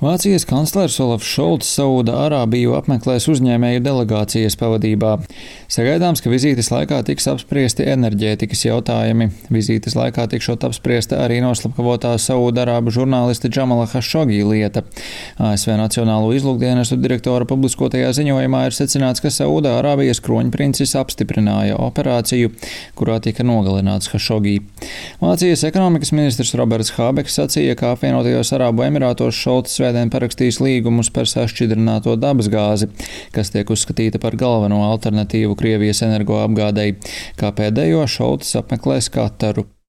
Vācijas kanclers Olafs Šolts Saūda-Arābiju apmeklēs uzņēmēju delegācijas pavadībā. Sagaidāms, ka vizītes laikā tiks apspriesti enerģētikas jautājumi. Vizītes laikā tikšot apspriesta arī noslapkavotā Saūda-Arābu žurnālista Džamala Hašogī lieta. ASV Nacionālo izlūkdienestu direktora publiskotajā ziņojumā ir secināts, ka Saūda-Arābijas kroņprincis apstiprināja operāciju, kurā tika nogalināts Hašogī. Vācijas ekonomikas ministrs Roberts Hābeks sacīja, ka apvienotajos Arābu Emirātos Šolts svētdien parakstīs līgumus par sašķidrināto dabasgāzi, kas tiek uzskatīta par galveno alternatīvu Krievijas energoapgādei. Kā pēdējo Šolts apmeklēs Kataru.